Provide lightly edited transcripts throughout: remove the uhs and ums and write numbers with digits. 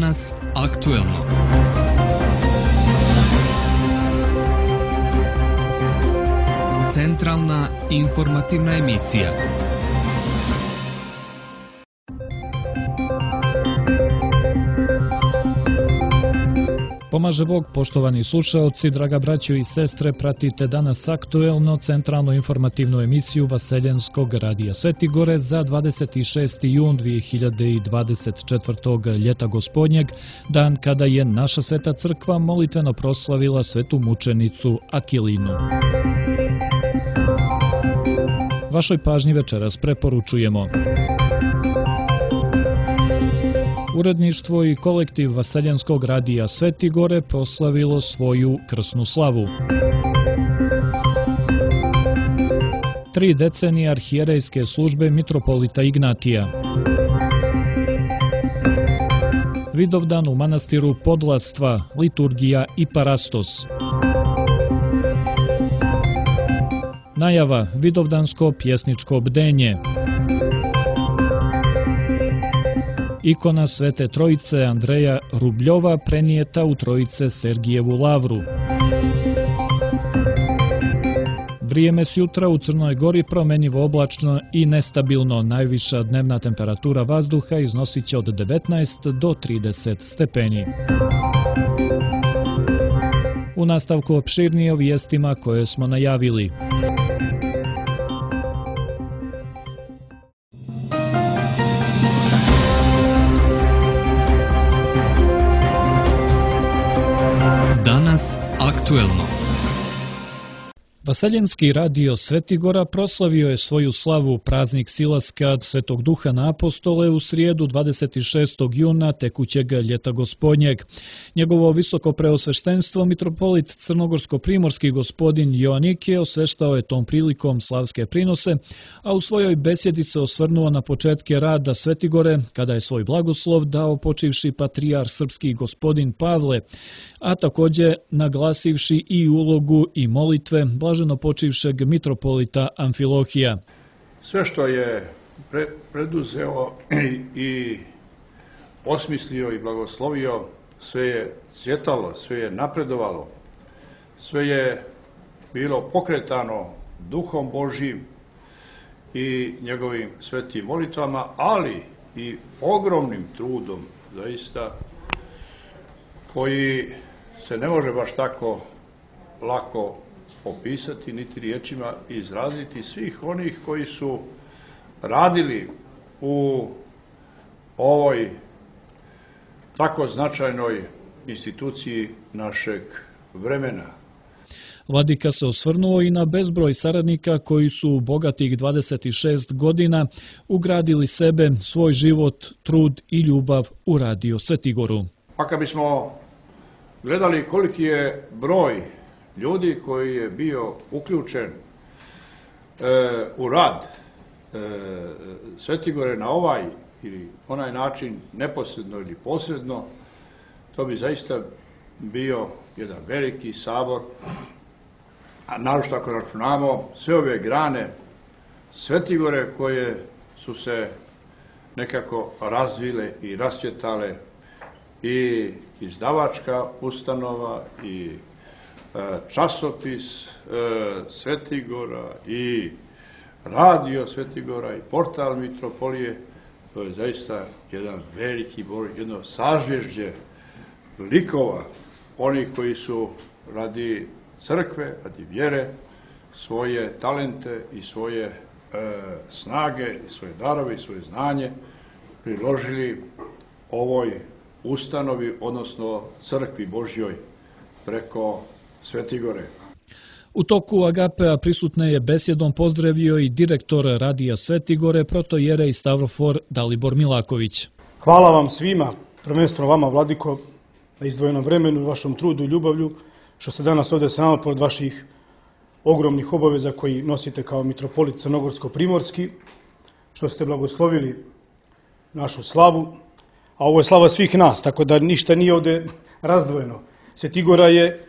Danas aktuelno. Centralna informativna emisija. Pomaže Bog, poštovani slušaoci, draga braćo i sestre, pratite danas aktuelno centralnu informativnu emisiju Vaseljenskog radija Sveti Gore za 26. jun 2024. ljeta gospodnjeg, dan kada je naša sveta crkva molitveno proslavila svetu mučenicu Akilinu. Vašoj pažnji večeras preporučujemo: uredništvo i kolektiv Vaseljenskog radija Sveti Gore proslavilo svoju krsnu slavu. 3 decenije arhijerejske službe mitropolita Ignatija. Vidovdan u manastiru Podlastva, liturgija i parastos. Najava vidovdansko pjesničko bdenje. Ikona Svete Trojice Andreja Rubljova prenijeta u Trojice Sergijevu lavru. Vrijeme s jutra u Crnoj Gori promjenjivo oblačno i nestabilno. Najviša dnevna temperatura vazduha iznosit će od 19 do 30 stepeni. U nastavku opširnije o vijestima koje smo najavili. Danas aktuelno. Vaseljenski radio Sveti Gora proslavio je svoju slavu praznik silaska Svetog Duha na apostole u srijedu 26. juna tekućeg ljeta gospodnjeg. Njegovo visoko preosveštenstvo mitropolit crnogorsko-primorski gospodin Joanike osveštao je tom prilikom slavske prinose, a u svojoj besjedi se osvrnuo na početke rada Sveti Gore, kada je svoj blagoslov dao počivši patrijar srpski gospodin Pavle, a također naglasivši i ulogu i molitve blaženo počivšeg mitropolita Amfilohija. Sve što je preduzeo i osmislio i blagoslovio, sve je cvjetalo, sve je napredovalo, sve je bilo pokretano Duhom Božjim i njegovim svetim molitvama, ali i ogromnim trudom, zaista, koji se ne može baš tako lako opisati, niti riječima izraziti, svih onih koji su radili u ovoj tako značajnoj instituciji našeg vremena. Vladika se osvrnuo i na bezbroj saradnika koji su u bogatih 26 godina ugradili sebe, svoj život, trud i ljubav u radio Sveti Goru. Pa kad bismo gledali koliki je broj ljudi koji je bio uključen u rad Sveti Gore na ovaj ili onaj način, neposredno ili posredno, to bi zaista bio jedan veliki sabor, a naročito ako računamo sve ove grane Sveti Gore koje su se nekako razvile i rascvjetale, i izdavačka ustanova, i časopis Sveti Gora, i radio Sveti Gora, i portal mitropolije. To je zaista jedan veliki broj, jedno sažvježđe likova, oni koji su radi crkve, radi vjere, svoje talente i svoje snage, i svoje darove i svoje znanje priložili ovoj ustanovi, odnosno crkvi Božjoj preko Sveti Gore. U toku Agapea prisutne je besjedom pozdravio i direktor radija Sveti Gore, protojerej Stavrofor Dalibor Milaković. Hvala vam svima, prvenstveno vama, Vladiko, na izdvojenom vremenu, vašom trudu i ljubavlju, što ste danas ovdje sa nama pored vaših ogromnih obaveza koji nosite kao mitropolit crnogorsko-primorski, što ste blagoslovili našu slavu, a ovo je slava svih nas, tako da ništa nije ovdje razdvojeno. Sveti Gora je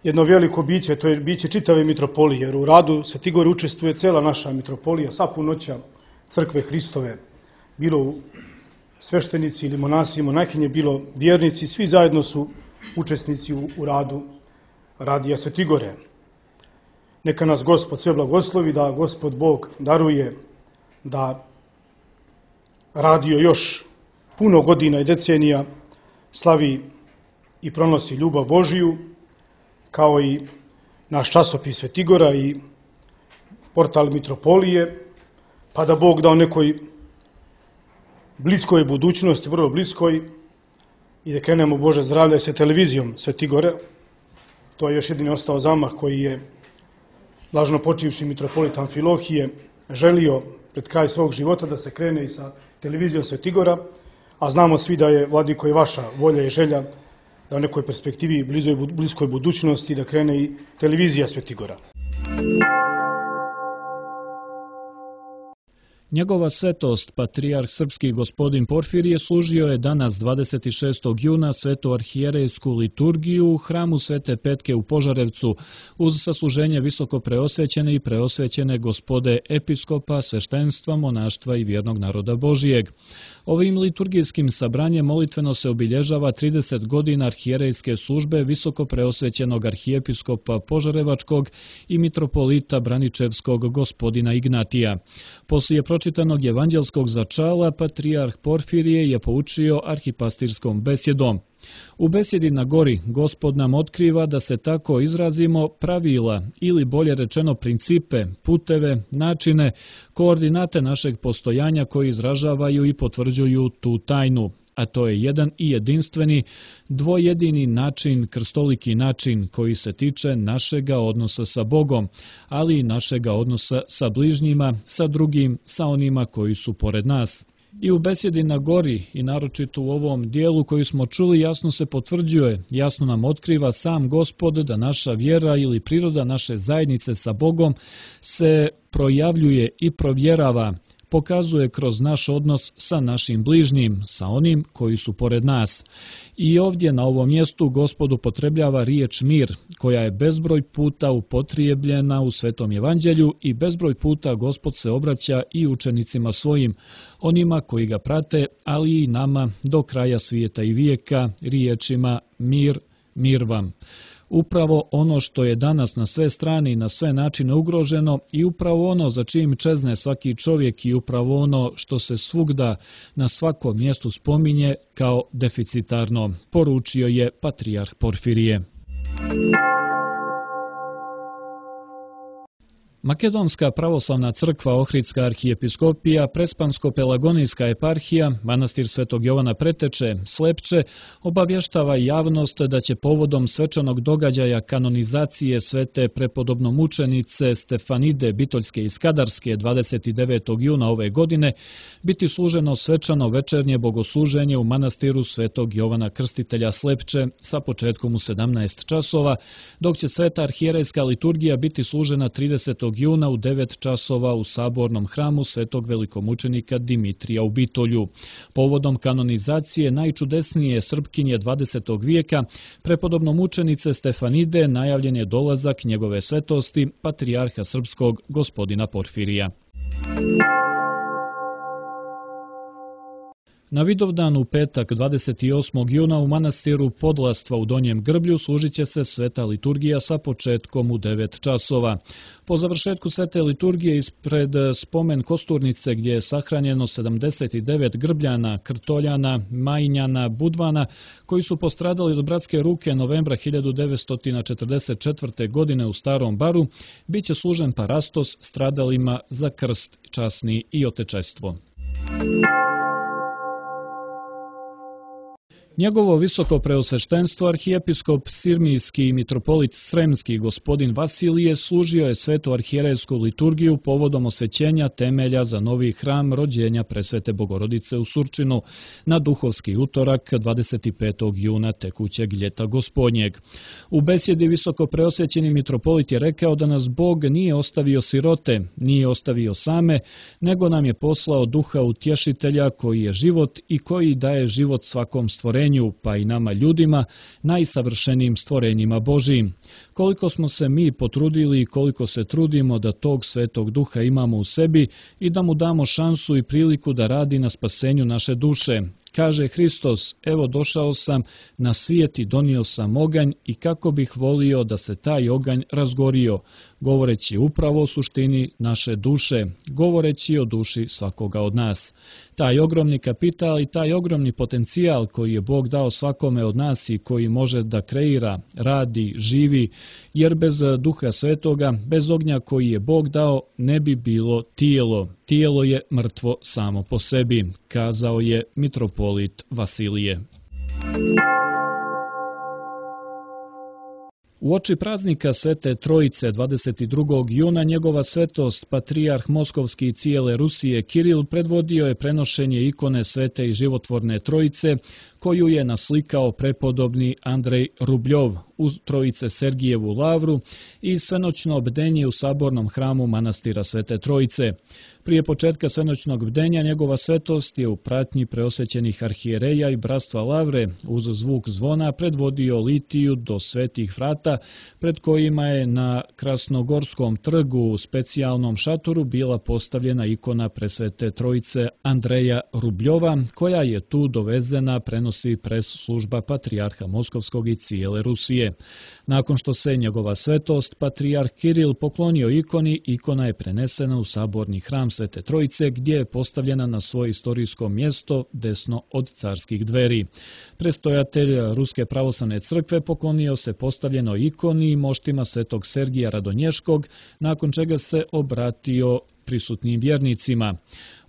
jedno veliko biće, to je biće čitave mitropolije, jer u radu Sveti Gore učestvuje cela naša mitropolija, sva punoća crkve Hristove, bilo u sveštenici ili monasi i monahинje, bilo vjernici, svi zajedno su učesnici u radu Radija Svetigore. Neka nas Gospod sve blagoslovi, da Gospod Bog daruje da radio još puno godina i decenija slavi i pronosi ljubav Božiju, kao i naš časopis Svetigora i portal Mitropolije, pa da Bog da u nekoj bliskoj budućnosti, vrlo bliskoj, i da krenemo Bože zdravlja sa televizijom Svetigore. To je još jedini ostao zamah koji je lažno počivši mitropolit Amfilohije želio pred kraj svog života da se krene i sa televizijom Svetigora, a znamo svi da je, Vladiko, i vaša volja i želja da u nekoj perspektivi i bliskoj budućnosti da krene i televizija Svetigora. Njegova svetost, patrijarh srpski gospodin Porfirije, služio je danas 26. juna svetoarhijerejsku liturgiju u hramu Svete Petke u Požarevcu uz sasluženje visoko preosvećene i preosvećene gospode episkopa, sveštenstva, monaštva i vjernog naroda Božijeg. Ovim liturgijskim sabranjem molitveno se obilježava 30 godina arhijerejske službe visoko preosvećenog arhijepiskopa Požarevačkog i mitropolita Braničevskog gospodina Ignatija. Poslije pročitanog evanđelskog začala, patrijarh Porfirije je poučio arhipastirskom besjedom. U besjedi na gori Gospod nam otkriva, da se tako izrazimo, pravila ili bolje rečeno principe, puteve, načine, koordinate našeg postojanja koji izražavaju i potvrđuju tu tajnu. A to je jedan i jedinstveni, dvojedini način, krstoliki način koji se tiče našega odnosa sa Bogom, ali i našega odnosa sa bližnjima, sa drugim, sa onima koji su pored nas. I u besjedi na gori, i naročito u ovom dijelu koji smo čuli, jasno se potvrđuje, jasno nam otkriva sam Gospod da naša vjera ili priroda naše zajednice sa Bogom se projavljuje i provjerava, pokazuje kroz naš odnos sa našim bližnjim, sa onim koji su pored nas. I ovdje na ovom mjestu Gospod upotrebljava riječ mir, koja je bezbroj puta upotrijebljena u Svetom evanđelju i bezbroj puta Gospod se obraća i učenicima svojim, onima koji ga prate, ali i nama do kraja svijeta i vijeka, riječima mir, mir vam. Upravo ono što je danas na sve strane i na sve načine ugroženo i upravo ono za čim čezne svaki čovjek i upravo ono što se svugda na svakom mjestu spominje kao deficitarno, poručio je patrijarh Porfirije. Makedonska pravoslavna crkva, Ohridska arhijepiskopija, Prespansko-Pelagonijska eparhija, manastir Svetog Jovana Preteče, Slepče, obavještava javnost da će povodom svečanog događaja kanonizacije svete prepodobnomučenice Stefanide Bitoljske i Skadarske 29. juna ove godine biti služeno svečano večernje bogosluženje u manastiru Svetog Jovana Krstitelja Slepče sa početkom u 17 časova, dok će sveta arhijerejska liturgija biti služena 30. juna u 9 časova u sabornom hramu Svetog velikomučenika Dimitrija u Bitolju. Povodom kanonizacije najčudesnije Srpkinje 20. vijeka, prepodobnomučenice Stefanide, najavljen je dolazak njegove svetosti, patrijarha srpskog gospodina Porfirija. Na Vidovdan u petak 28. juna u manastiru Podlastva u Donjem Grblju služit će se sveta liturgija sa početkom u 9 časova. Po završetku svete liturgije ispred spomen kosturnice gdje je sahranjeno 79 Grbljana, Krtoljana, Majinjana, Budvana koji su postradali od bratske ruke novembra 1944. godine u Starom Baru, bit će služen parastos stradalima za krst časni i otečestvo. Njegovo visoko preosveštenstvo arhijepiskop Sirmijski i mitropolit Sremski gospodin Vasilije služio je svetu arhijerejsku liturgiju povodom osvećenja temelja za novi hram rođenja Presvete Bogorodice u Surčinu na duhovski utorak 25. juna tekućeg ljeta gospodnjeg. U besjedi visoko preosvećeni mitropolit je rekao da nas Bog nije ostavio sirote, nije ostavio same, nego nam je poslao duha utješitelja koji je život i koji daje život svakom stvorenju, stvorenju, pa i nama ljudima, najsavršenijim stvorenjima Božijim. Koliko smo se mi potrudili i koliko se trudimo da tog Svetog Duha imamo u sebi i da mu damo šansu i priliku da radi na spasenju naše duše. Kaže Hristos, evo došao sam na svijet i donio sam oganj i kako bih volio da se taj oganj razgorio, govoreći upravo o suštini naše duše, govoreći o duši svakoga od nas. Taj ogromni kapital i taj ogromni potencijal koji je Bog dao svakome od nas i koji može da kreira, radi, živi, jer bez Duha Svetoga, bez ognja koji je Bog dao, ne bi bilo tijelo. Tijelo je mrtvo samo po sebi, kazao je mitropolit Vasilije. Uoči praznika Svete Trojice 22. juna njegova svetost patrijarh Moskovski i cijele Rusije Kiril predvodio je prenošenje ikone Svete i životvorne Trojice koju je naslikao prepodobni Andrej Rubljov uz Trojice Sergijevu lavru i svenoćno bdenje u sabornom hramu manastira Svete Trojice. Prije početka svenoćnog bdenja njegova svetost je u pratnji preosvećenih arhijereja i bratstva lavre uz zvuk zvona predvodio litiju do svetih vrata pred kojima je na Krasnogorskom trgu u specijalnom šatoru bila postavljena ikona Presvete Trojice Andreja Rubljova koja je tu dovezena, prenosi pres služba patrijarha Moskovskog i cijele Rusije. Nakon što se njegova svetost patrijarh Kiril poklonio ikoni, ikona je prenesena u saborni hram Svete Trojice gdje je postavljena na svoje istorijsko mjesto desno od carskih dveri. Prestojatelj Ruske pravoslavne crkve poklonio se postavljenoj ikoni i moštima Svetog Sergija Radonješkog, nakon čega se obratio prisutnim vjernicima.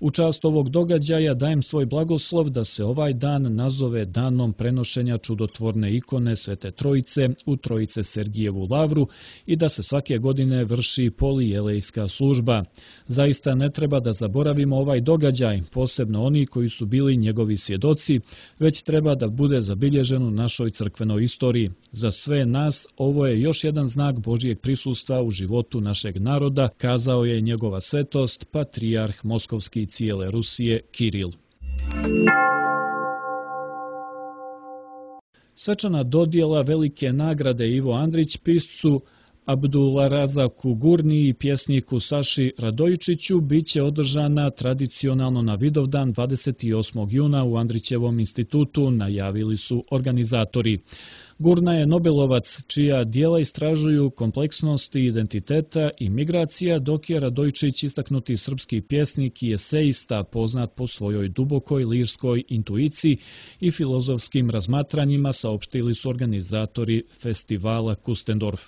U čast ovog događaja dajem svoj blagoslov da se ovaj dan nazove danom prenošenja čudotvorne ikone Svete Trojice u Trojice Sergijevu lavru i da se svake godine vrši polijelejska služba. Zaista ne treba da zaboravimo ovaj događaj, posebno oni koji su bili njegovi svjedoci, već treba da bude zabilježen u našoj crkvenoj istoriji. Za sve nas ovo je još jedan znak Božijeg prisustva u životu našeg naroda, kazao je njegova svetost, patrijarh Moskovski cijele Rusije Kiril. Svečana dodjela velike nagrade Ivo Andrić piscu Abdularazaku Gurni i pjesniku Saši Radojičiću biće održana tradicionalno na Vidovdan 28. juna u Andrićevom institutu, najavili su organizatori. Gurna je Nobelovac čija djela istražuju kompleksnost identiteta i migracija, dok je Radojičić istaknuti srpski pjesnik i esejista poznat po svojoj dubokoj lirskoj intuiciji i filozofskim razmatranjima, saopštili su organizatori festivala Kustendorf.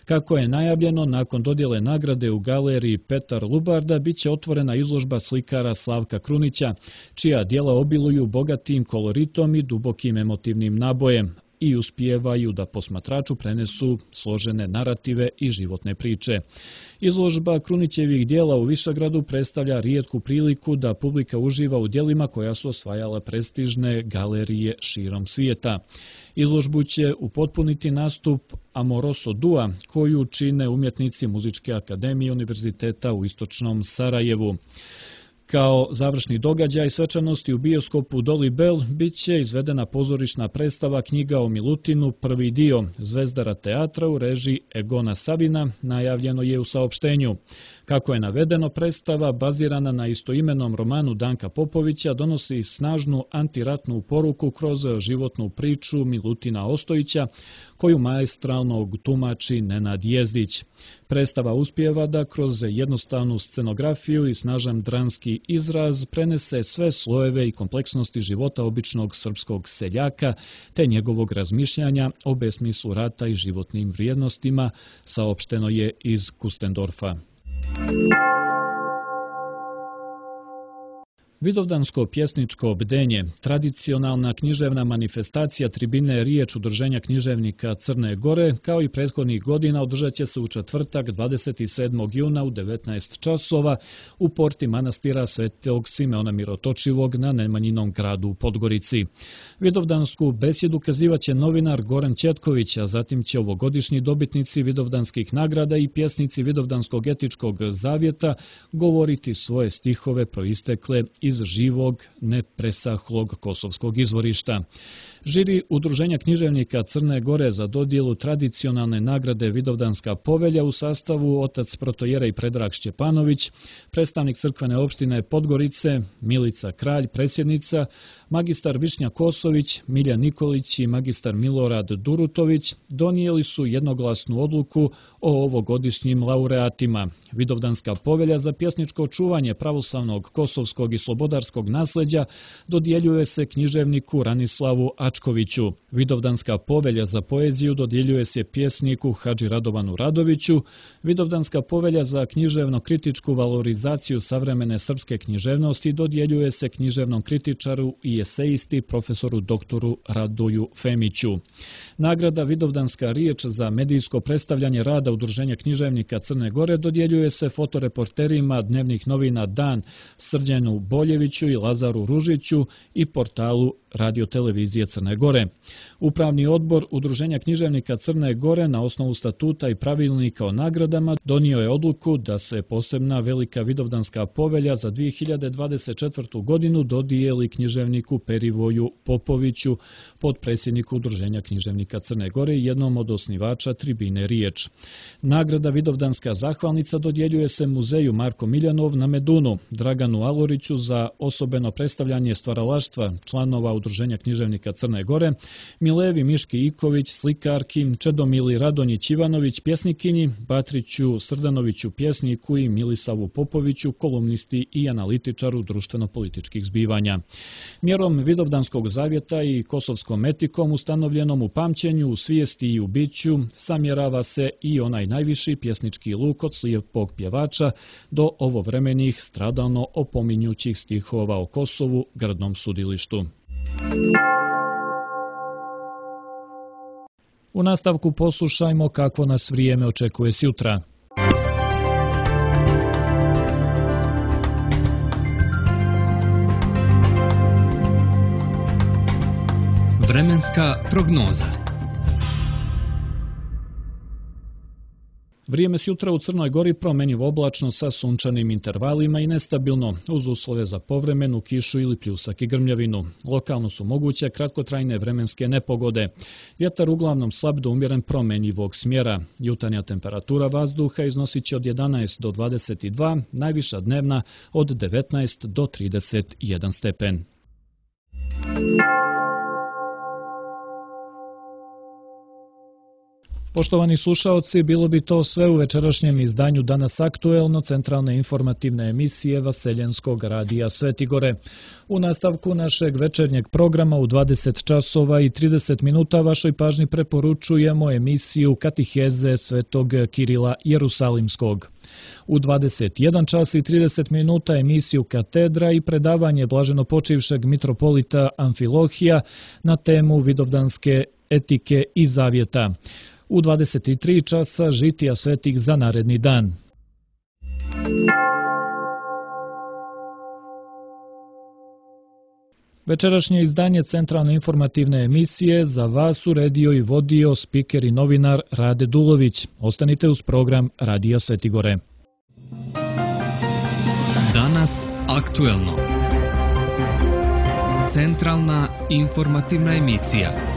Kako je najavljeno, nakon dodjele nagrade u galeriji Petar Lubarda biće otvorena izložba slikara Slavka Krunića, čija djela obiluju bogatim koloritom i dubokim emotivnim nabojem i uspijevaju da posmatraču prenesu složene narative i životne priče. Izložba Krunićevih djela u Višegradu predstavlja rijetku priliku da publika uživa u djelima koja su osvajala prestižne galerije širom svijeta. Izložbu će upotpuniti nastup Amoroso Dua, koju čine umjetnici Muzičke akademije Univerziteta u Istočnom Sarajevu. Kao završni događaj svečanosti u bioskopu Doli Bel bit će izvedena pozorišna predstava Knjiga o Milutinu, prvi dio Zvezdara teatra u režiji Egona Sabina, najavljeno je u saopštenju. Kako je navedeno, predstava bazirana na istoimenom romanu Danka Popovića donosi snažnu antiratnu poruku kroz životnu priču Milutina Ostojića, koju maestralno tumači Nenad Jezdić. Predstava uspijeva da kroz jednostavnu scenografiju i snažan dramski izraz prenese sve slojeve i kompleksnosti života običnog srpskog seljaka te njegovog razmišljanja o besmislu rata i životnim vrijednostima, saopšteno je iz Kustendorfa. Vidovdansko pjesničko bdenje, tradicionalna književna manifestacija tribine Riječ udruženja književnika Crne Gore, kao i prethodnih godina, održat će se u četvrtak 27. juna u 19 časova u porti manastira Svetog Simeona Mirotočivog na Nemanjinom gradu u Podgorici. Vidovdansku besjedu kazivaće novinar Goran Četković, a zatim će ovogodišnji dobitnici Vidovdanskih nagrada i pjesnici Vidovdanskog etičkog zavjeta govoriti svoje stihove proistekle iz živog, nepresahlog kosovskog izvorišta. Žiri Udruženja književnika Crne Gore za dodjelu tradicionalne nagrade Vidovdanska povelja u sastavu otac protojerej Predrag Šćepanović, predstavnik crkvene opštine Podgorice, Milica Kralj, predsjednica, magistar Višnja Kosović, Milja Nikolić i magistar Milorad Durutović donijeli su jednoglasnu odluku o ovogodišnjim laureatima. Vidovdanska povelja za pjesničko čuvanje pravoslavnog, kosovskog i slobodarskog nasljeđa dodjeljuje se književniku Ranislavu Ačkoviću. Vidovdanska povelja za poeziju dodjeljuje se pjesniku Hadži Radovanu Radoviću. Vidovdanska povelja za književno-kritičku valorizaciju savremene srpske književnosti dodjeljuje se književnom kritičaru i esejisti profesoru doktoru Radoju Femiću. Nagrada Vidovdanska riječ za medijsko predstavljanje rada Udruženja književnika Crne Gore dodjeljuje se fotoreporterima dnevnih novina Dan Srđanu Boljeviću i Lazaru Ružiću i portalu Radio-televizije Crne Gore. Upravni odbor Udruženja književnika Crne Gore na osnovu statuta i pravilnika o nagradama donio je odluku da se posebna velika Vidovdanska povelja za 2024. godinu dodijeli književniku Perivoju Popoviću, potpredsjedniku Udruženja književnika Crne Gore i jednom od osnivača Tribine Riječ. Nagrada Vidovdanska zahvalnica dodjeljuje se muzeju Marko Miljanov na Medunu, Draganu Aloriću za osobeno predstavljanje stvaralaštva članova Udruženja književnika Crne Gore, Milevi Miški Iković, slikarki, Čedomili Radonjić Ivanović, pjesnikinji, Batriću Srdanoviću, pjesniku i Milisavu Popoviću, kolumnisti i analitičaru društveno-političkih zbivanja. Mjerom Vidovdanskog zavjeta i kosovskom etikom ustanovljenom u pamćenju, u svijesti i u biću samjerava se i onaj najviši pjesnički luk od slijepog pjevača do ovovremenih stradalno opominjućih stihova o Kosovu, grdnom sudilištu. U nastavku poslušajmo kako nas vrijeme očekuje sutra. Vremenska prognoza. Vrijeme sutra u Crnoj Gori promjenjivo oblačno sa sunčanim intervalima i nestabilno, uz uslove za povremenu kišu ili pljusak i grmljavinu. Lokalno su moguće kratkotrajne vremenske nepogode. Vjetar uglavnom slab do umjeren promjenjivog smjera. Jutarnja temperatura vazduha iznosit će od 11 do 22, najviša dnevna od 19 do 31 stepen. Poštovani slušaoci, bilo bi to sve u večerašnjem izdanju Danas aktuelno, centralne informativne emisije Vaseljenskog radija Svetigore. U nastavku našeg večernjeg programa u 20 časova i 30 minuta vašoj pažnji preporučujemo emisiju Katiheze Svetog Kirila Jerusalimskog. U 21 čas i 30 minuta emisiju Katedra i predavanje blaženopočivšeg mitropolita Amfilohija na temu Vidovdanske etike i zavjeta. U 23 časa žitija svetih za naredni dan. Večerašnje izdanje centralne informativne emisije za vas uredio i vodio spiker i novinar Rade Dulović. Ostanite uz program Radija Svetigore. Danas aktuelno. Centralna informativna emisija.